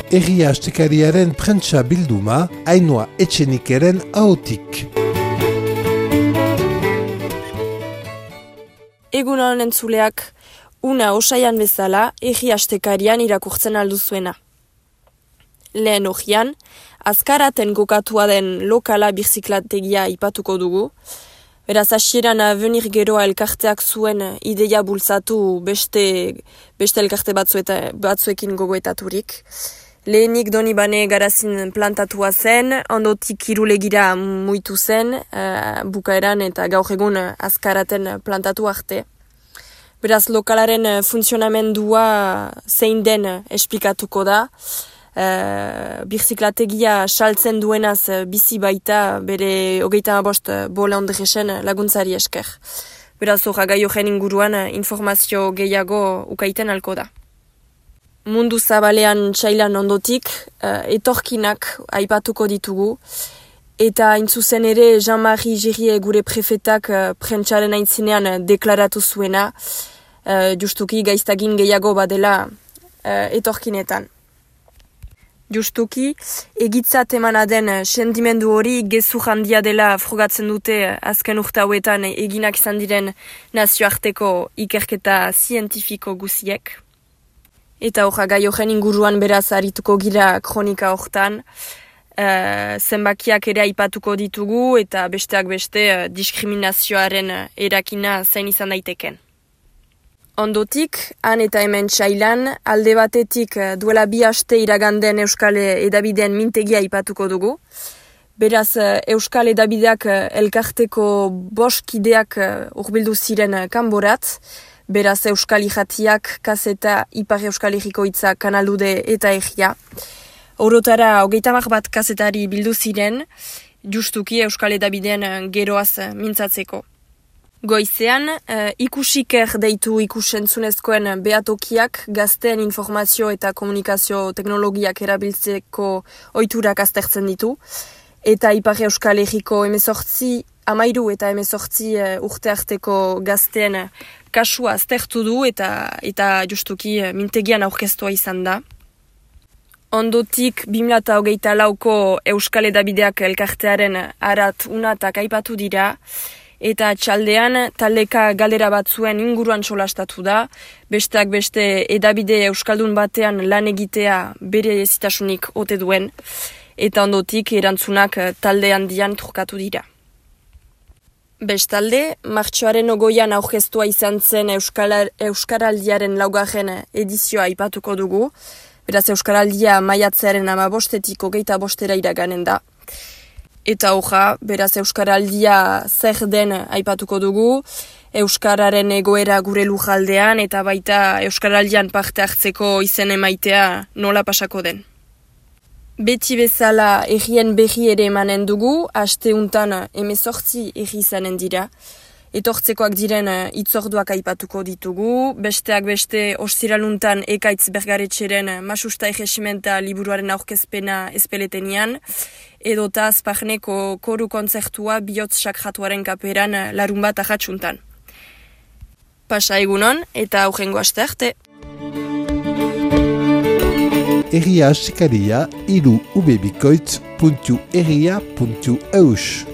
Herria Astekariaren prentsa bilduma, Ainhoa Etxenikeren ahotik. Egunon entzuleak, una osaian bezala, Herria Astekarian irakurtzen alduzuena. Lehen hogian, azkaraten gokatua den lokala birziklategia ipatuko dugu. Beraz, hasieran Avenir Geroa elkarteak zuen ideia bultzatu beste elkarte batzuekin gogoetaturik. Lehenik Donibane garazin plantatua zen, ondotik Irulegira muitu zen, bukaeran eta gaur egun azkaraten plantatu arte. Beraz, lokalaren funtzionamendua zein den esplikatuko da. Birziklategia saltzen duenaz bizi baita bere 35 bola ondresen laguntzari esker. Beraz, gai horren inguruan informazio gehiago ukaiten alko da. Mundu zabalean txailan ondotik, etorkinak aipatuko ditugu, eta intzuzen ere Jean-Marie Girie gure prefetak prentsaren aintzinean deklaratu zuena, justuki gaiztagin gehiago badela etorkinetan. Justuki, egitzat emana den sendimendu hori gezur handia dela frogatzen dute azken urte hauetan eginak izan diren nazioarteko ikerketa zientifiko guziek. Eta gai horren inguruan beraz arituko gira kronika hortan, zenbakiak ere aipatuko ditugu eta besteak beste diskriminazioaren erakina zein izan daiteken. Ondotik, han eta hemen txailan, alde batetik duela 2 aste iraganden Euskal Edabideen mintegia ipatuko dugu. Beraz, Euskal Edabideak elkarteko 5 kideak hurbildu ziren kanborat. Beraz, Euskal Irratiak, Kaseta, Ipar Euskal Herriko Hitza, Kanalude eta Herria. Orotara, 30 bat kazetari bildu ziren, justuki Euskal Edabideen geroaz mintzatzeko. Goizean, ikusiker deitu ikusentzunezkoen behatokiak gazteen informazio eta komunikazio teknologiak erabiltzeko ohiturak aztertzen ditu. Eta Ipar Euskal Herriko 18, 13 eta 18 urte arteko gazteen kasua aztertu du eta justuki mintegian aurkeztua izan da. Ondotik 2024ko Euskal Edabideak elkartearen arat unatak aipatu dira, eta txaldean taldeka galdera batzuen inguruan solastatu da, besteak beste edabide euskaldun batean lan egitea bere ezitasunik ote duen, eta ondotik erantzunak talde handian trukatu dira. Bestalde, martxoaren 20an aurkeztua izan zen Euskaraldiaren 4. edizioa aipatuko dugu, beraz Euskaraldia maiatzearen 15-etik 25 iraganen da. Eta beraz Euskaraldia zer den aipatuko dugu, Euskararen egoera gure lujaldean eta baita Euskaraldian parte hartzeko izen emaitea nola pasako den. Beti bezala herrien berri ere emanen dugu, aste untan 18 herri izanen dira. Etortzekoak diren hitzorduak aipatuko ditugu, besteak beste ostiraluntan Ekaitz Bergaretxeren Masusta Erregimenta liburuaren aurkezpena espeletenian, edota Azparneko koru kontzertua bihotz sakratuaren kaperan larunbat ahatsuntan. Pasa egunon eta aurrengo aste arte. Herria Astekaria, 3ubebikoitz.herria.eus